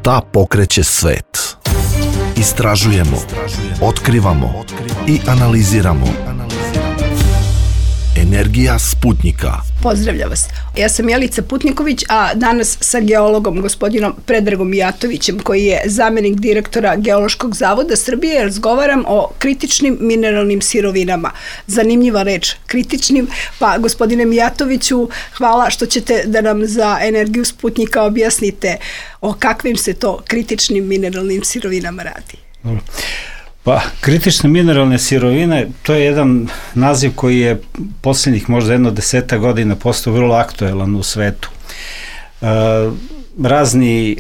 Šta pokreće svet? Istražujemo, otkrivamo i analiziramo. Energija Sputnika. Pozdravljam vas. Ja sam Jelica Putniković, a danas sa geologom gospodinom Predragom Mijatovićem, koji je zamenik direktora Geološkog zavoda Srbije, razgovaram o kritičnim mineralnim sirovinama. Zanimljiva reč, kritičnim. Pa, gospodine Mijatoviću, hvala što ćete da nam za Energiju Sputnika objasnite o kakvim se to kritičnim mineralnim sirovinama radi. Dobro. Pa, kritične mineralne sirovine, to je jedan naziv koji je posljednjih možda 10 godina postao vrlo aktuelan u svetu. Razni,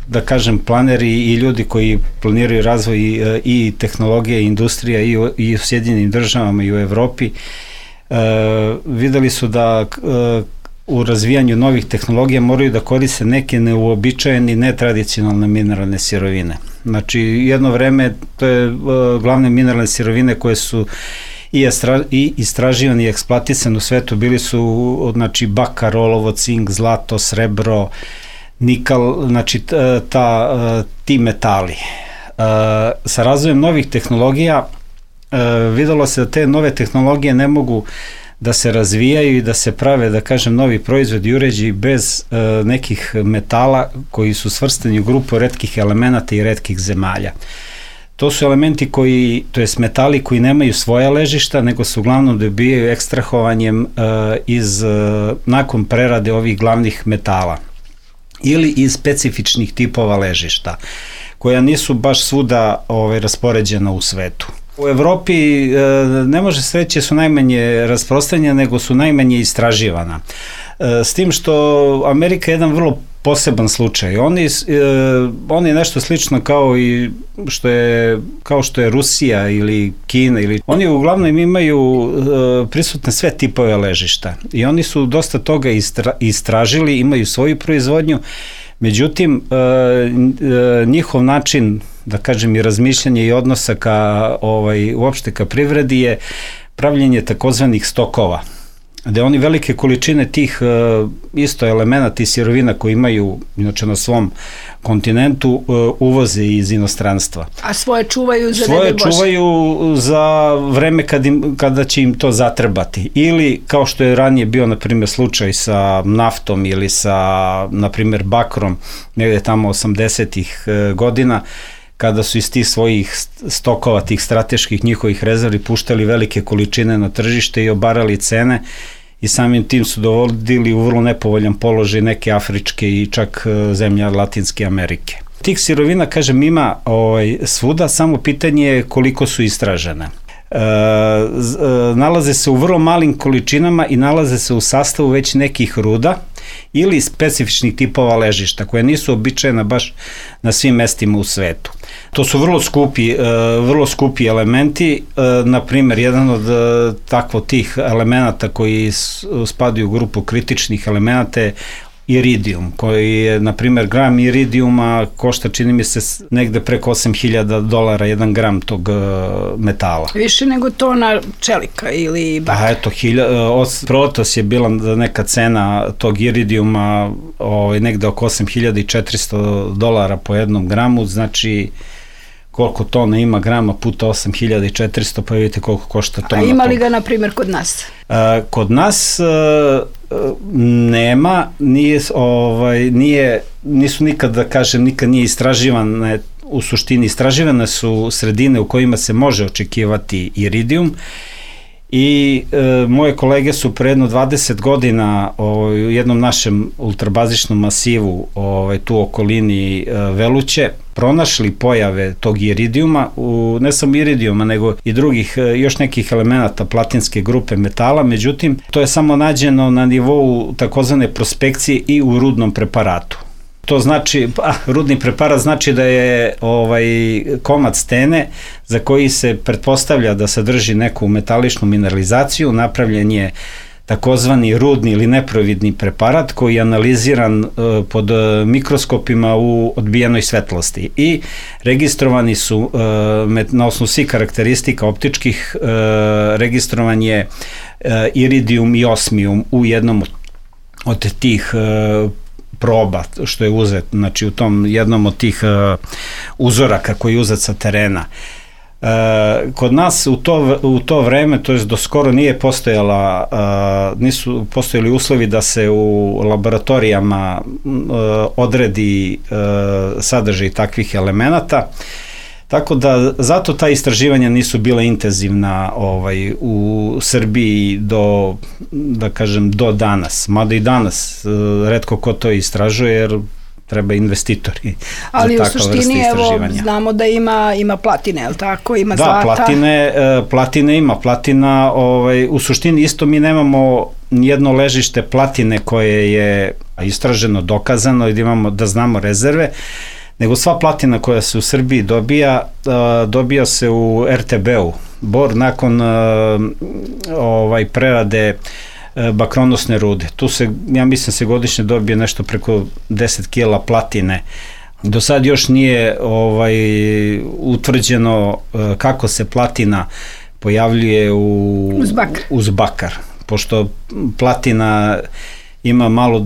da kažem, planeri i ljudi koji planiraju razvoj i tehnologije i industrija i u Sjedinjenim državama i u Evropi, videli su da u razvijanju novih tehnologija moraju da koriste neke neuobičajene, netradicionalne mineralne sirovine. Znači, jedno vreme to je glavne mineralne sirovine koje su i istraživane i eksploatisane u svetu bili su, znači, bakar, olovo, cink, zlato, srebro, nikal, znači ti metali. Sa razvojem novih tehnologija videlo se da te nove tehnologije ne mogu da se razvijaju i da se prave, da kažem, novi proizvodi i uređaji bez nekih metala koji su svrstani u grupu retkih elemenata i retkih zemalja. To su elementi koji, to jest metali koji nemaju svoja ležišta, nego se uglavnom dobijaju ekstrahovanjem nakon prerade ovih glavnih metala ili iz specifičnih tipova ležišta, koja nisu baš svuda raspoređena u svetu. U Evropi ne može se reći su najmanje rasprostranjena, nego su najmanje istraživana. S tim što Amerika je jedan vrlo poseban slučaj. Oni nešto slično kao što je Rusija ili Kina. Oni uglavnom imaju prisutne sve tipove ležišta i oni su dosta toga istražili, imaju svoju proizvodnju. Međutim, njihov način, da kažem, i razmišljanje i odnosa uopšte ka privredi je pravljenje takozvanih stokova, gde oni velike količine tih isto elemenata i sirovina koji imaju inače na svom kontinentu uvoze iz inostranstva. A svoje čuvaju za Svoje čuvaju za vreme kada će im to zatrebati. Ili kao što je ranije bio, na primjer, slučaj sa naftom ili sa, na primjer, bakrom, negde tamo 80-ih godina, kada su iz tih svojih stokova, tih strateških njihovih rezervi puštali velike količine na tržište i obarali cene i samim tim su dovodili u vrlo nepovoljan položaj neke afričke i čak zemlje Latinske Amerike. Tih sirovina, kažem, ima svuda, samo pitanje je koliko su istražene. Nalaze se u vrlo malim količinama i nalaze se u sastavu već nekih ruda ili specifičnih tipova ležišta koje nisu običajena baš na svim mestima u svetu. To su vrlo skupi elementi, na primjer, jedan od takvo tih elemenata koji spadaju u grupu kritičnih elemenata je iridijum, koji je, na primjer, gram iridijuma košta, čini mi se, negde preko $8.000 jedan gram tog metala. Više nego tona čelika ili bakra. A eto, proletos je bila neka cena tog iridijuma negde oko $8.400 po jednom gramu, znači koliko tona ima grama puta 8.400, pa vidite koliko košta tona. A ima li ga, na primjer, kod nas? Kod nas nema, nisu nikad, da kažem, nikad nije istraživane, u suštini istraživane su sredine u kojima se može očekivati iridijum i moje kolege su pre jedno 20 godina u jednom našem ultrabazičnom masivu tu u okolini Veluće pronašli pojave tog iridijuma, ne samo iridijuma nego i drugih još nekih elemenata platinske grupe metala, međutim to je samo nađeno na nivou takozvane prospekcije i u rudnom preparatu. To znači, rudni preparat znači da je komad stene za koji se pretpostavlja da sadrži neku metaličnu mineralizaciju, napravljen je takozvani rudni ili neprovidni preparat koji je analiziran pod mikroskopima u odbijenoj svetlosti i registrovani su na osnovu svih karakteristika optičkih, registrovan je iridijum i osmijum u jednom od tih proba što je uzet, znači u tom jednom od tih uzoraka koji je uzet sa terena. Kod nas u to vreme, to jest do skoro nisu postojali uslovi da se u laboratorijama odredi sadržaj takvih elemenata, tako da zato ta istraživanja nisu bila intenzivna u Srbiji do danas, mada i danas retko ko to istražuje jer treba investitori ali za takva vrsta istraživanja. Evo, znamo da ima platine, je li tako? Ima zlata. Da, platine ima. Platina, u suštini isto mi nemamo nijedno ležište platine koje je istraženo, dokazano i da znamo rezerve, nego sva platina koja se u Srbiji dobija se u RTB-u. Bor nakon prerade bakronosne rude. Tu ja mislim se godišnje dobije nešto preko 10 kila platine. Do sad još nije utvrđeno kako se platina pojavljuje uz bakar. Pošto platina ima malo,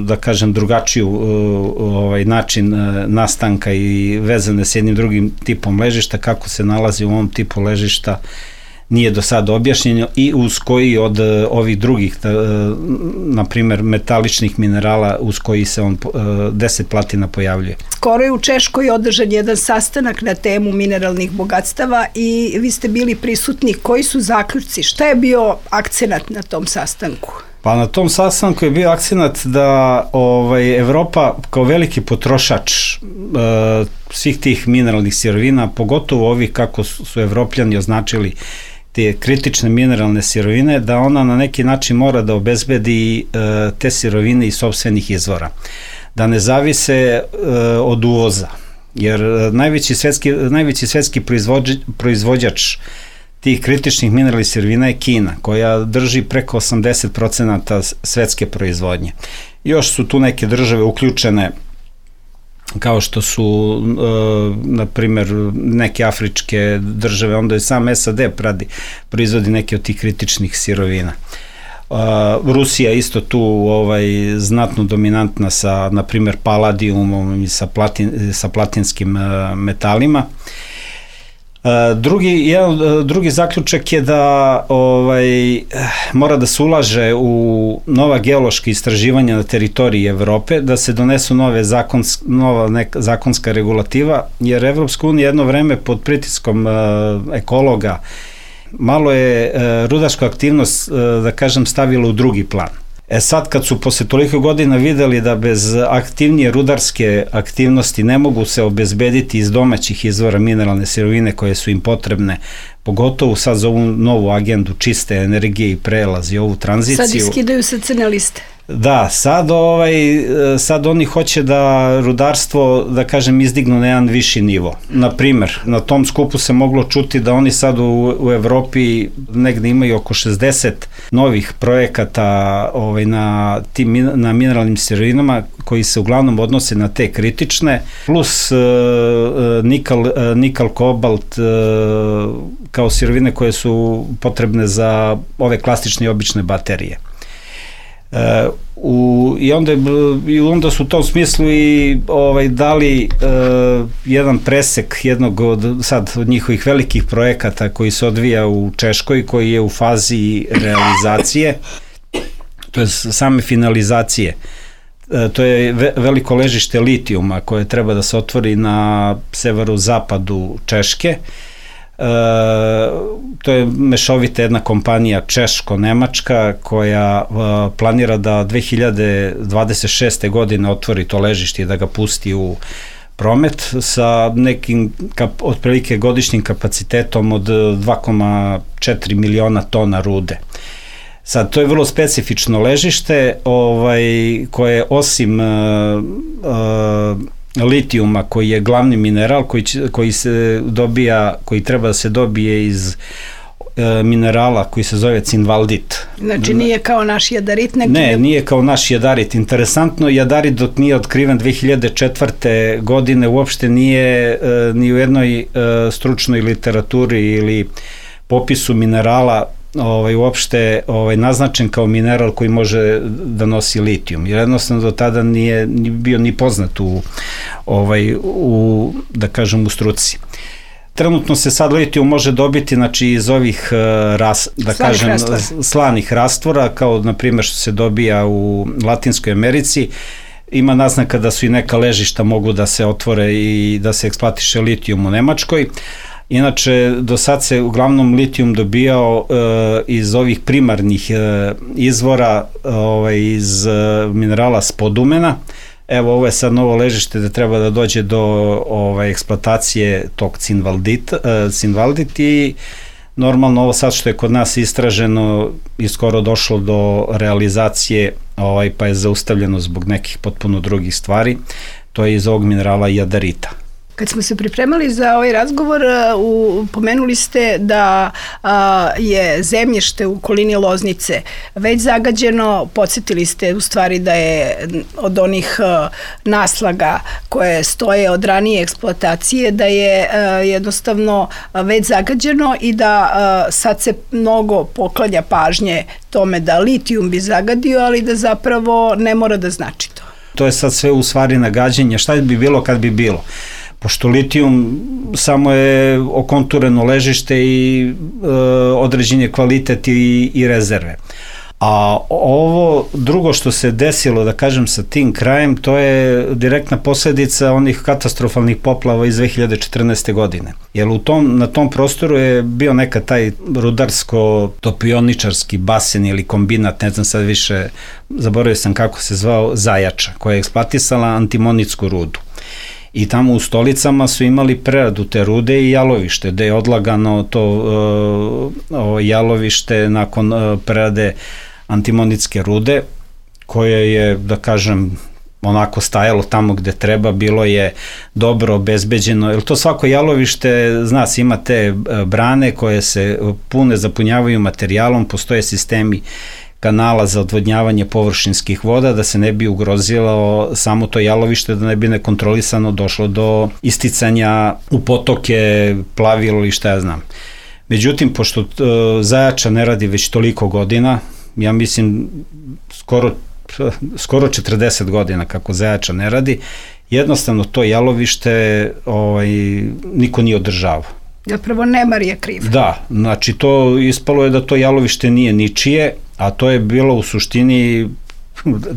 da kažem, drugačiju način nastanka i vezane s jednim drugim tipom ležišta, kako se nalazi u ovom tipu ležišta nije do sada objašnjeno i uz koji od ovih drugih, na primer metaličnih minerala, uz koji se 10 platina pojavljuje. Skoro je u Češkoj održan jedan sastanak na temu mineralnih bogatstava i vi ste bili prisutni. Koji su zaključci? Šta je bio akcenat na tom sastanku? Pa na tom sastanku je bio akcenat da Evropa kao veliki potrošač svih tih mineralnih sirovina, pogotovo ovih kako su Evropljani označili te kritične mineralne sirovine, da ona na neki način mora da obezbedi te sirovine iz sopstvenih izvora. Da ne zavise od uvoza, jer najveći svetski proizvođač tih kritičnih mineralnih sirovina je Kina, koja drži preko 80% svetske proizvodnje. Još su tu neke države uključene, kao što su, na primjer, neke afričke države, onda je sam SAD proizvodi neke od tih kritičnih sirovina. Rusija isto tu znatno dominantna sa, na primjer, paladijumom i sa platinskim metalima. Drugi zaključak je da mora da se ulaže u nova geološka istraživanja na teritoriji Evrope, da se donesu nova zakonska regulativa, jer Evropska unija jedno vreme pod pritiskom ekologa malo je rudarsku aktivnost, da kažem, stavila u drugi plan. Sad kad su posle toliko godina videli da bez aktivnije rudarske aktivnosti ne mogu se obezbediti iz domaćih izvora mineralne sirovine koje su im potrebne, pogotovo sad za ovu novu agendu čiste energije i prelaz i ovu tranziciju. Sad iskidaju sa crne liste. Da, sad oni hoće da rudarstvo, da kažem, izdignu na jedan viši nivo. Naprimer, na tom skupu se moglo čuti da oni sad u Evropi negde imaju oko 60 novih projekata na mineralnim sirovinama koji se uglavnom odnose na te kritične, plus nikal, kobalt kao sirovine koje su potrebne za ove klasične i obične baterije. I onda su u tom smislu i dali jedan presek jednog od njihovih velikih projekata koji se odvija u Češkoj, koji je u fazi realizacije, to je same finalizacije. To je veliko ležište litijuma koje treba da se otvori na severozapadu Češke. To je mešovita jedna kompanija češko-nemačka koja planira da 2026. godine otvori to ležište i da ga pusti u promet sa nekim otprilike godišnjim kapacitetom od 2,4 miliona tona rude. Sad, to je vrlo specifično ležište koje osim litijuma, koji je glavni mineral koji treba da se dobije iz minerala koji se zove cinvaldit. Znači nije kao naš jadarit? Nije kao naš jadarit. Interesantno, jadarit dok nije otkriven 2004. godine uopšte nije ni u jednoj stručnoj literaturi ili popisu minerala uopšte naznačen kao mineral koji može da nosi litijum. Jer jednostavno do tada nije bio ni poznat u da kažem, u struci. Trenutno se sad litijum može dobiti, znači, iz ovih slanih rastvora, kao na primjer što se dobija u Latinskoj Americi. Ima naznaka da su i neka ležišta mogu da se otvore i da se eksploatiše litijum u Nemačkoj. Inače, do sad se uglavnom litijum dobijao iz ovih primarnih izvora, iz minerala spodumena. Evo, ovo je sad novo ležište da treba da dođe do eksploatacije tog cinvaldit i normalno ovo sad što je kod nas istraženo i skoro došlo do realizacije, pa je zaustavljeno zbog nekih potpuno drugih stvari, to je iz ovog minerala jadarita. Kad smo se pripremali za ovaj razgovor, pomenuli ste da je zemljište u okolini Loznice već zagađeno, podsjetili ste u stvari da je od onih naslaga koje stoje od ranije eksploatacije, da je jednostavno već zagađeno i da sad se mnogo poklanja pažnje tome da litijum bi zagadio, ali da zapravo ne mora da znači to. To je sad sve u stvari nagađanje, šta bi bilo kad bi bilo? Pošto litijum samo je okontureno ležište i određen je kvalitet i rezerve. A ovo drugo što se desilo, da kažem, sa tim krajem, to je direktna posledica onih katastrofalnih poplava iz 2014. godine. Jer na tom prostoru je bio nekad taj rudarsko-topioničarski basen ili kombinat, ne znam sad više, zaboravio sam kako se zvao, Zajača, koja je eksploatisala antimonitsku rudu. I tamo u Stolicama su imali preradu te rude i jalovište, gde je odlagano to jalovište nakon prerade antimonitske rude, koje je, da kažem, onako stajalo tamo gde treba, bilo je dobro obezbeđeno, jer to svako jalovište, zna se, ima te brane koje se pune, zapunjavaju materijalom, postoje sistemi kanala za odvodnjavanje površinskih voda, da se ne bi ugrozilo samo to jalovište, da ne bi nekontrolisano došlo do isticanja u potoke, plavilo ili šta ja znam. Međutim, pošto Zajača ne radi već toliko godina, ja mislim skoro 40 godina kako Zajača ne radi, jednostavno to jalovište niko nije održavao. Zapravo nemar je kriv. Da, znači to ispalo je da to jalovište nije ničije, a to je bilo u suštini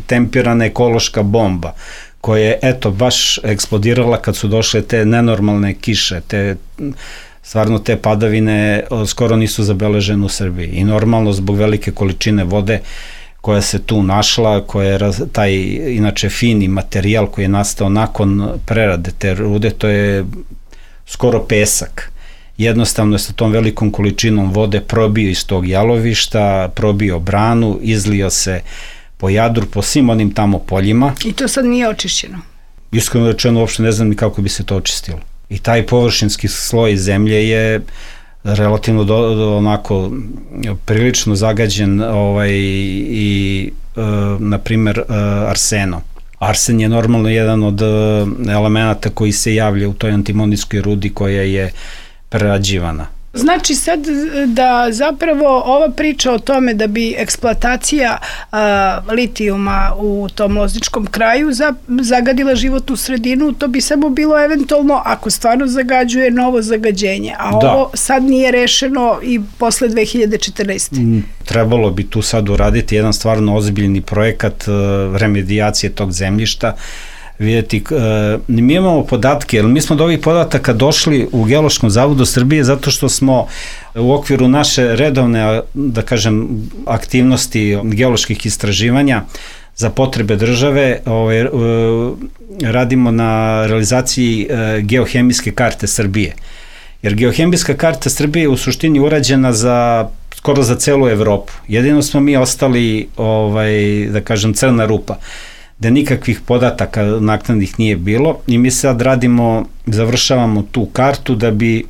tempirana ekološka bomba, koja je, eto, baš eksplodirala kad su došle te nenormalne kiše, stvarno te padavine skoro nisu zabeležene u Srbiji. I normalno, zbog velike količine vode koja se tu našla, koja je taj, inače, fini materijal koji je nastao nakon prerade te rude, to je skoro pesak. Jednostavno je sa tom velikom količinom vode probio iz tog jalovišta, probio branu, izlio se po Jadru, po svim onim tamo poljima. I to sad nije očišćeno? Iskreno rečeno, uopšte ne znam ni kako bi se to očistilo. I taj površinski sloj zemlje je relativno onako prilično zagađen i na primer arsenom. Arsen je normalno jedan od elemenata koji se javlja u toj antimonitskoj rudi koja je prerađivana. Znači sad da zapravo ova priča o tome da bi eksploatacija litijuma u tom lozničkom kraju zagadila životnu sredinu, to bi samo bilo eventualno ako stvarno zagađuje novo zagađenje, a ovo sad nije rešeno i posle 2014. Trebalo bi tu sad uraditi jedan stvarno ozbiljni projekat remedijacije tog zemljišta. Vidjeti, mi imamo podatke, jer mi smo do ovih podataka došli u Geološkom zavodu Srbije zato što smo u okviru naše redovne, da kažem, aktivnosti geoloških istraživanja za potrebe države, radimo na realizaciji geohemijske karte Srbije. Jer geohemijska karta Srbije je u suštini urađena skoro za celu Evropu. Jedino smo mi ostali, da kažem, crna rupa, da nikakvih podataka naknadnih nije bilo i mi sad završavamo tu kartu da bi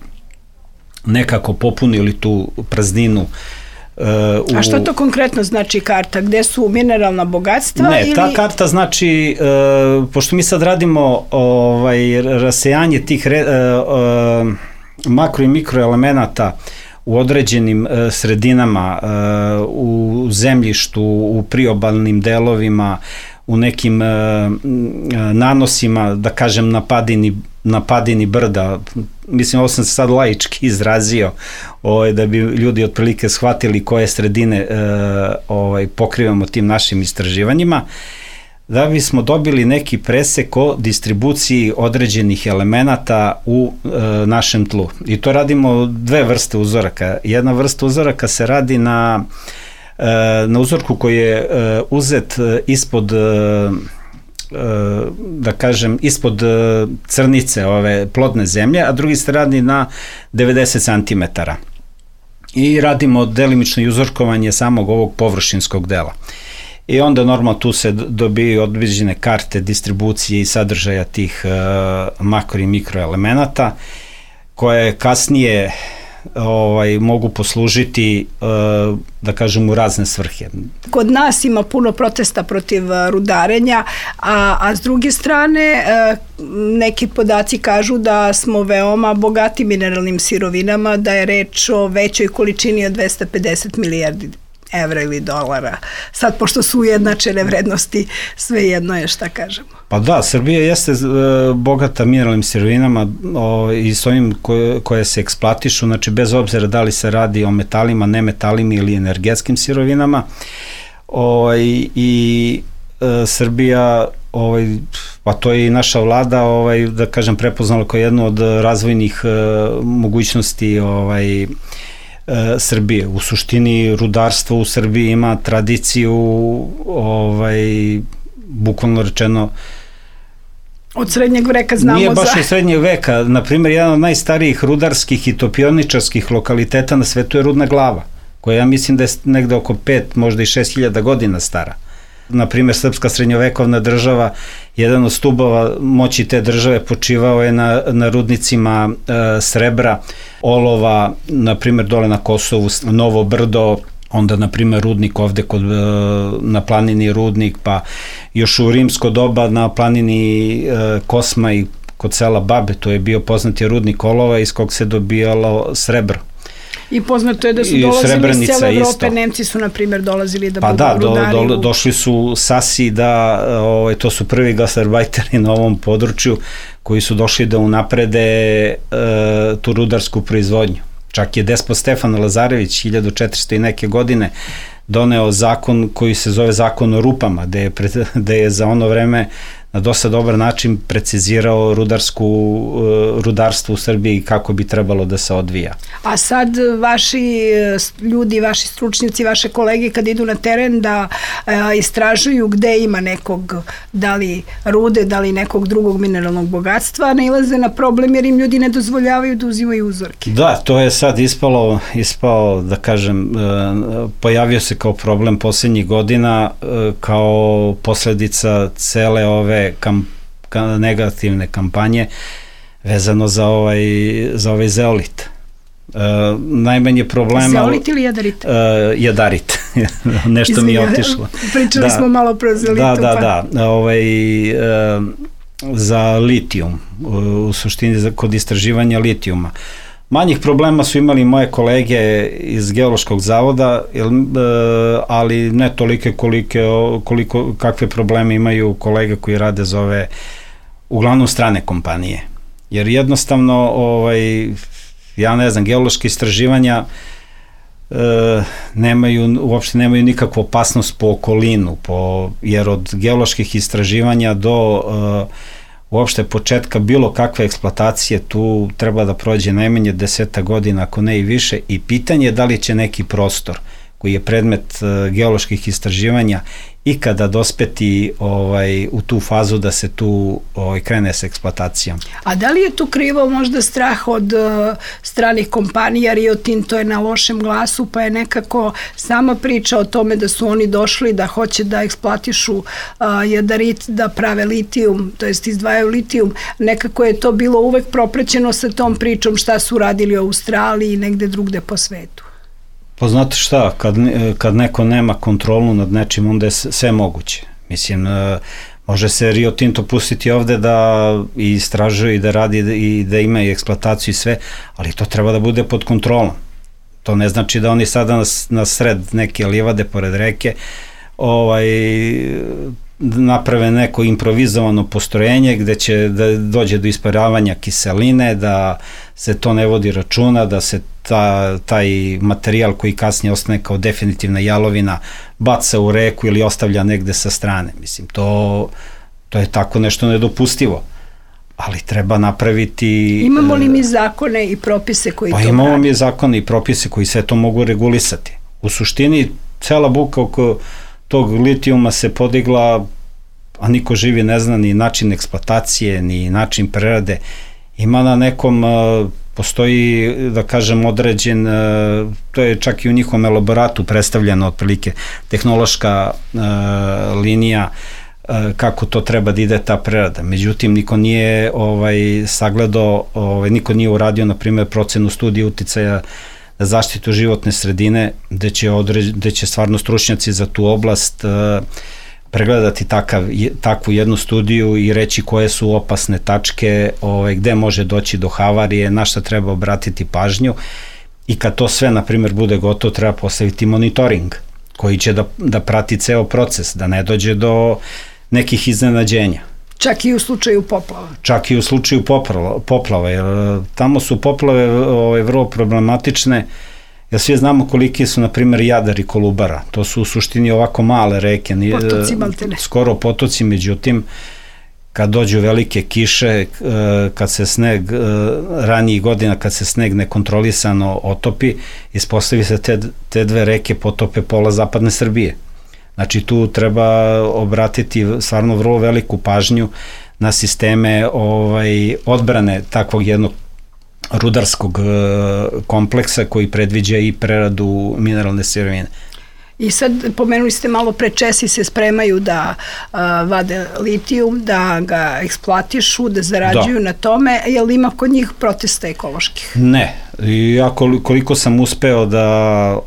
nekako popunili tu prazninu. A što to konkretno znači karta? Gde su mineralna bogatstva? Ne, ta karta znači, pošto mi sad radimo rasejanje tih makro i mikro elemenata u određenim sredinama, u zemljištu, u priobalnim delovima, u nekim nanosima, da kažem na padini brda. Mislim, ovo sam se sad laički izrazio, da bi ljudi otprilike shvatili koje sredine pokrivamo tim našim istraživanjima, da bismo dobili neki presek o distribuciji određenih elemenata u našem tlu. I to radimo dve vrste uzoraka. Jedna vrsta uzoraka se radi na uzorku koji je uzet ispod, da kažem, ispod crnice ove plodne zemlje, a drugi se radi na 90 cm. I radimo delimično uzorkovanje samog ovog površinskog dela. I onda normalno tu se dobijaju određene karte distribucije i sadržaja tih makro i mikroelemenata, koje kasnije mogu poslužiti, da kažem, u razne svrhe. Kod nas ima puno protesta protiv rudarenja, a s druge strane neki podaci kažu da smo veoma bogati mineralnim sirovinama, da je reč o većoj količini od 250 milijardi evra ili dolara. Sad, pošto su ujednačene vrednosti, sve jedno je šta kažemo. Pa da, Srbija jeste bogata mineralnim sirovinama i s ovim koje se eksploatišu, znači bez obzira da li se radi o metalima, nemetalima ili energetskim sirovinama. I Srbija, pa to je i naša vlada, da kažem, prepoznala kao jednu od razvojnih mogućnosti Srbije. U suštini rudarstvo u Srbiji ima tradiciju, bukvalno rečeno, od srednjeg veka znamo nije baš od srednjeg veka. Naprimjer, jedan od najstarijih rudarskih i topioničarskih lokaliteta na svetu je Rudna Glava, koja ja mislim da je negde oko 5, možda i 6.000 godina stara. Naprimjer, srpska srednjovekovna država, jedan od stubova moći te države počivao je na rudnicima srebra, olova, naprimjer dole na Kosovu, Novo Brdo, onda naprimjer rudnik ovde na planini Rudnik, pa još u rimsko doba na planini Kosma i kod sela Babe, to je bio poznati rudnik olova iz kog se dobijalo srebro. I poznato je da su dolazili iz cijele Evrope, Nemci su, na primjer, dolazili da budu rudari. Da, došli su Sasi, to su prvi gastarbajteri na ovom području koji su došli da unaprede tu rudarsku proizvodnju. Čak je despot Stefan Lazarević 1400 i neke godine doneo zakon koji se zove Zakon o rupama, gde je za ono vreme na dosta dobar način precizirao rudarstvo u Srbiji i kako bi trebalo da se odvija. A sad vaši ljudi, vaši stručnjaci, vaše kolege kad idu na teren da istražuju gde ima nekog, da li rude, da li nekog drugog mineralnog bogatstva, nailaze na problem jer im ljudi ne dozvoljavaju da uzimaju uzorke. Da, to je sad ispao, da kažem, pojavio se kao problem poslednjih godina, kao posledica cele ove negativne kampanje vezano za ovaj zeolit. Najmanje problema... Zeolit ili jadarit? Jadarit. Nešto mi je otišlo. Pričali smo malo pro zeolitu. Da. Za litijum, u suštini kod istraživanja litijuma. Manjih problema su imali moje kolege iz Geološkog zavoda, ali ne tolike kakve probleme imaju kolege koji rade za ove uglavnom strane kompanije. Jer jednostavno, ja ne znam, geološke istraživanja uopšte nemaju nikakvu opasnost po okolinu, jer od geoloških istraživanja do uopšte početka bilo kakve eksploatacije tu treba da prođe najmanje 10 godina, ako ne i više, i pitanje je da li će neki prostor koji je predmet geoloških istraživanja ikada dospeti u tu fazu da se tu krene s eksploatacijom. A da li je tu krivo možda strah od stranih kompanija? Rio Tinto je na lošem glasu, pa je nekako sama priča o tome da su oni došli da hoće da eksploatišu jadarit, da prave litijum, to jest izdvajaju litijum. Nekako je to bilo uvek propraćeno sa tom pričom šta su radili u Australiji i negde drugde po svetu. Pa znate šta, kad neko nema kontrolu nad nečim, onda je sve moguće. Mislim, može se Rio Tinto pustiti ovde da istražuje i da radi i da ima i eksploataciju i sve, ali to treba da bude pod kontrolom. To ne znači da oni sada na sred neke livade pored reke naprave neko improvizovano postrojenje gde će da dođe do isparavanja kiseline, da se to ne vodi računa, da se taj materijal koji kasnije ostane kao definitivna jalovina baca u reku ili ostavlja negde sa strane. Mislim, to je tako nešto nedopustivo. Ali treba napraviti... Imamo li mi zakone i propise koji to radi? Pa imamo mi zakone i propise koji sve to mogu regulisati. U suštini, cela buka oko tog litijuma se podigla, a niko živi ne zna ni način eksploatacije, ni način prerade. Ima na nekom, postoji, da kažem, određen, to je čak i u njihovom elaboratu predstavljeno otprilike, tehnološka linija kako to treba da ide ta prerada. Međutim, niko nije sagledao, niko nije uradio, na primjer, procenu studije uticaja na zaštitu životne sredine, gde će stvarno stručnjaci za tu oblast pregledati takvu jednu studiju i reći koje su opasne tačke, gde može doći do havarije, na šta treba obratiti pažnju, i kad to sve, na primjer, bude gotovo, treba postaviti monitoring koji će da prati ceo proces, da ne dođe do nekih iznenađenja. Čak i u slučaju poplava. Čak i u slučaju poplava, jer tamo su poplave vrlo problematične, jer svi znamo koliki su, na primjer, Jadar i Kolubara. To su u suštini ovako male reke, skoro potoci, međutim, kad dođu velike kiše, kad se sneg, ranijih godina, kad se sneg nekontrolisano otopi, ispostavi se te dve reke potope pola zapadne Srbije. Znači, tu treba obratiti stvarno vrlo veliku pažnju na sisteme odbrane takvog jednog rudarskog kompleksa koji predviđa i preradu mineralne sirovine. I sad pomenuli ste malo pre, Česi se spremaju da vade litijum, da ga eksploatišu, da zarađuju na tome. Je li ima kod njih protesta ekoloških? Ne. Ja koliko sam uspeo da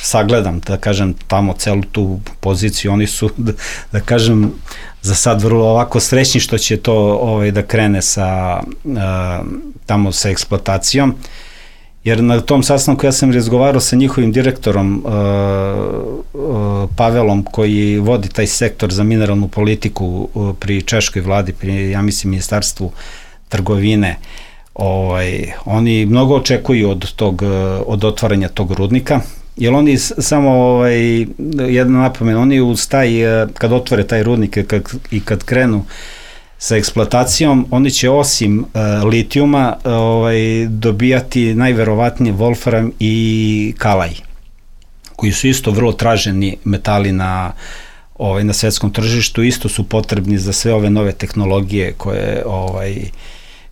sagledam, da kažem, tamo celu tu poziciju, oni su, da kažem, za sad vrlo ovako srećni što će to da krene tamo sa eksploatacijom. Jer na tom sastanku ja sam razgovarao sa njihovim direktorom Pavelom, koji vodi taj sektor za mineralnu politiku pri češkoj vladi, pri, ja mislim, ministarstvu trgovine. Oni mnogo očekuju od otvaranja tog rudnika, jer oni samo, jedna napomena, oni uz kad otvore taj rudnik i kad krenu sa eksploatacijom, oni će osim litijuma dobijati najverovatnije wolfram i kalaj, koji su isto vrlo traženi metali na svetskom tržištu, isto su potrebni za sve ove nove tehnologije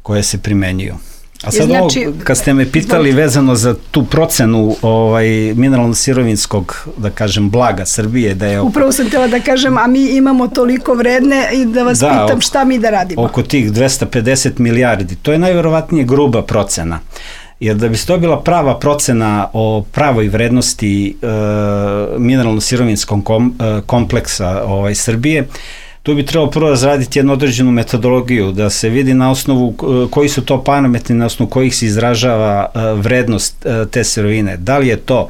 koje se primenjuju. A sad kad ste me pitali vezano za tu procenu mineralno-sirovinskog, da kažem, blaga Srbije, da je... Upravo sam htjela da kažem, a mi imamo toliko vredne i da vas pitam šta mi da radimo. Oko tih 250 milijardi, to je najverovatnije gruba procena. Jer da bi se dobila prava procena o pravoj vrednosti mineralno-sirovinskog kompleksa Srbije, tu bi trebalo prvo razraditi jednu određenu metodologiju, da se vidi na osnovu koji su to parametri na osnovu kojih se izražava vrednost te sirovine. Da li je to,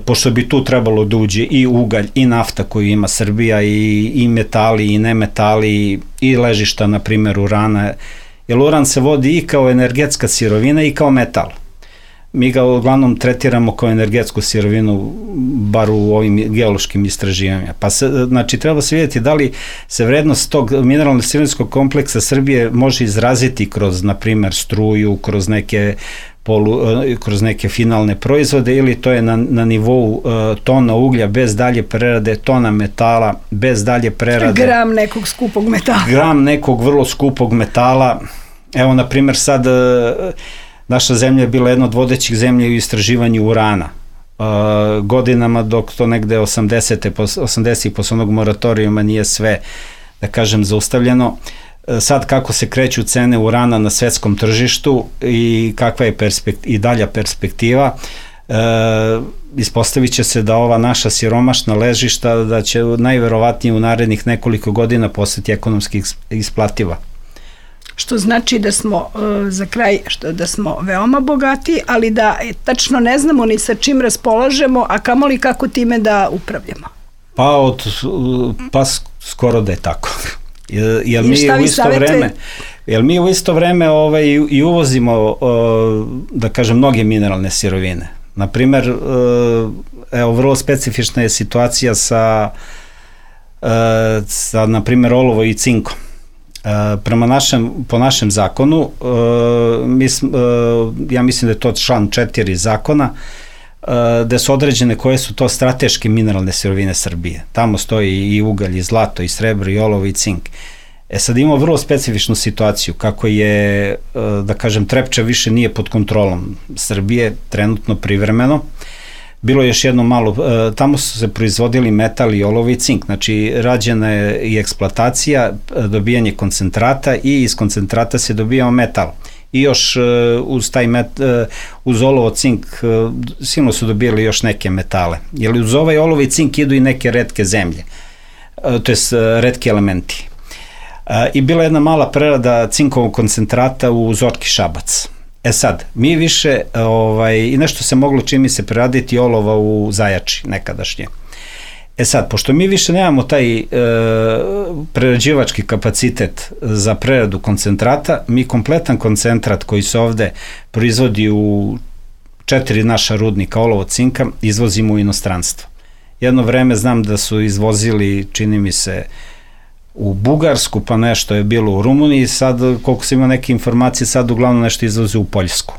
pošto bi tu trebalo da uđe i ugalj i nafta koju ima Srbija, i metali i nemetali i ležišta, na primjer, urana, jer uran se vodi i kao energetska sirovina i kao metal. Mi ga uglavnom tretiramo kao energetsku sirovinu, bar u ovim geološkim istraživanjima. Pa znači, treba se vidjeti da li se vrednost tog mineralno-sirovinskog kompleksa Srbije može izraziti kroz, na primjer, struju, kroz neke finalne proizvode, ili to je na nivou tona uglja bez dalje prerade, tona metala bez dalje prerade. Gram nekog skupog metala. Gram nekog vrlo skupog metala. Evo, na primjer, sad... Naša zemlja je bila jedna od vodećih zemlja u istraživanju urana. Godinama, dok to negde 80. posle onog moratorijuma nije sve, da kažem, zaustavljeno. Sad kako se kreću cene urana na svetskom tržištu i kakva je i dalja perspektiva, ispostavit će se da ova naša siromašna ležišta, da će najverovatnije u narednih nekoliko godina postati ekonomski isplativa. što znači da smo za kraj, da smo veoma bogati, ali da tačno ne znamo ni sa čim raspolažemo, a kamoli kako time da upravljamo. Pa skoro da je tako. Jel mi u isto vreme i uvozimo, da kažem, mnoge mineralne sirovine. Naprimer, evo, vrlo specifična je situacija sa na primjer, olovo i cinkom. Po našem zakonu, ja mislim da je to član 4 zakona, gde su određene koje su to strateške mineralne sirovine Srbije. Tamo stoji i ugalj, i zlato, i srebro, i olovo, i cink. Sad imamo vrlo specifičnu situaciju, kako je, da kažem, Trepča više nije pod kontrolom Srbije, trenutno privremeno. Bilo je još jedno malo, tamo su se proizvodili metal i olovo i cink, znači rađena je i eksploatacija, dobijanje koncentrata i iz koncentrata se dobijao metal. I još uz olovo, cink, silno su dobijali još neke metale. Jer uz ovaj olovo i cink idu i neke retke zemlje, to je retki elementi. I bila jedna mala prerada cinkovog koncentrata u Zorki Šabac. Sad, mi više, i nešto se moglo čini se preraditi olova u Zajači nekadašnje. Sad, pošto mi više nemamo taj prerađivački kapacitet za preradu koncentrata, mi kompletan koncentrat koji se ovde proizvodi u 4 naša rudnika olovo cinka izvozimo u inostranstvo. Jedno vreme znam da su izvozili, čini mi se, u Bugarsku, pa nešto je bilo u Rumuniji, sad, koliko se ima neke informacije, sad uglavnom nešto izvoze u Poljsku.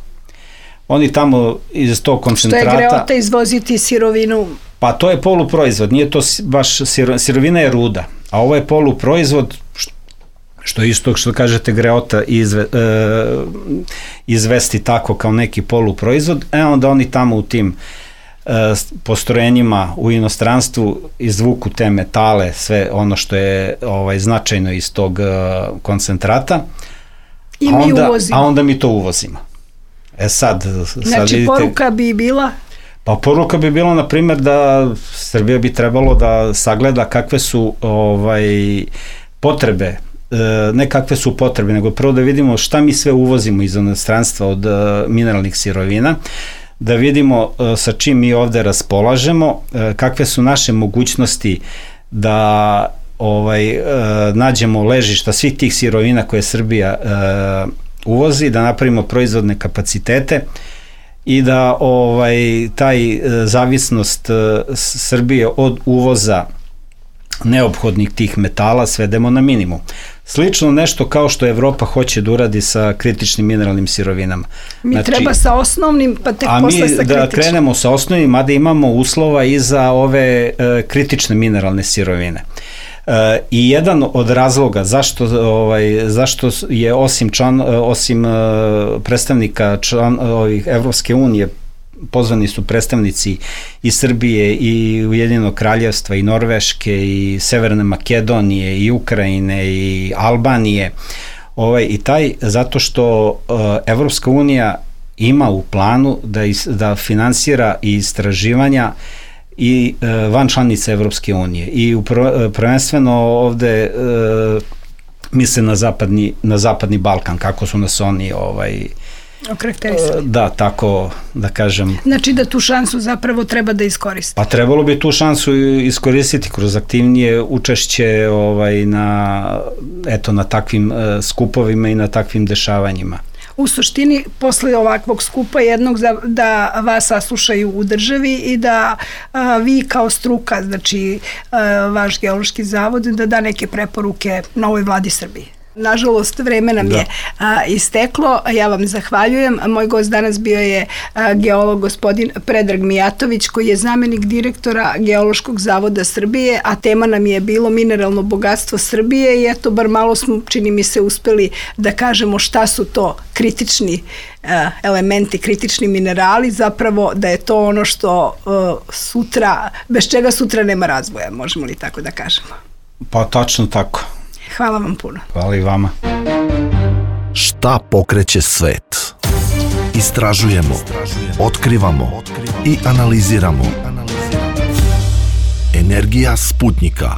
Oni tamo iz tog koncentrata... Što je greota izvoziti sirovinu? Pa to je poluproizvod, nije to baš, sirovina je ruda, a ovo je poluproizvod, što je isto što kažete greota izvesti tako kao neki poluproizvod, onda oni tamo u tim postrojenjima u inostranstvu izvuku te metale, sve ono što je značajno iz tog koncentrata, a onda mi to uvozimo. Znači, vidite, poruka bi bila? Pa poruka bi bila, na primjer, da Srbija bi trebalo da sagleda kakve su potrebe, ne kakve su potrebe, nego prvo da vidimo šta mi sve uvozimo iz inostranstva od mineralnih sirovina, da vidimo sa čim mi ovde raspolažemo, kakve su naše mogućnosti da nađemo ležišta svih tih sirovina koje Srbija uvozi, da napravimo proizvodne kapacitete i da taj zavisnost Srbije od uvoza neophodnih tih metala svedemo na minimum. Slično nešto kao što Evropa hoće da uradi sa kritičnim mineralnim sirovinama. Mi treba sa osnovnim, pa tek posle sa kritičnim. A mi da krenemo sa osnovnim, mada imamo uslova i za ove kritične mineralne sirovine. I jedan od razloga zašto je osim predstavnika Evropske unije, pozvani su predstavnici i Srbije i Ujedinjenog kraljevstva i Norveške i Severne Makedonije i Ukrajine i Albanije, zato što Evropska unija ima u planu da finansira i istraživanja i van članica Evropske unije i prvenstveno ovde misle na zapadni Balkan, kako su nas oni okarakterisali. Da, tako da kažem. Znači da tu šansu zapravo treba da iskoristiti. Pa trebalo bi tu šansu iskoristiti kroz aktivnije učešće na takvim skupovima i na takvim dešavanjima. U suštini, posle ovakvog skupa jednog da vas saslušaju u državi i da vi kao struka, znači vaš geološki zavod, da neke preporuke novoj vladi Srbije. Nažalost, vreme nam je isteklo. Ja vam zahvaljujem. Moj gost danas bio je geolog gospodin Predrag Mijatović, koji je zamenik direktora Geološkog zavoda Srbije, a tema nam je bilo mineralno bogatstvo Srbije i eto, bar malo smo, čini mi se, uspeli da kažemo šta su to kritični elementi, kritični minerali, zapravo da je to ono što bez čega sutra nema razvoja, možemo li tako da kažemo? Pa tačno tako. Hvala vam puno. Hvala i vama. Šta pokreće svet? Istražujemo, otkrivamo i analiziramo. Energija Sputnika.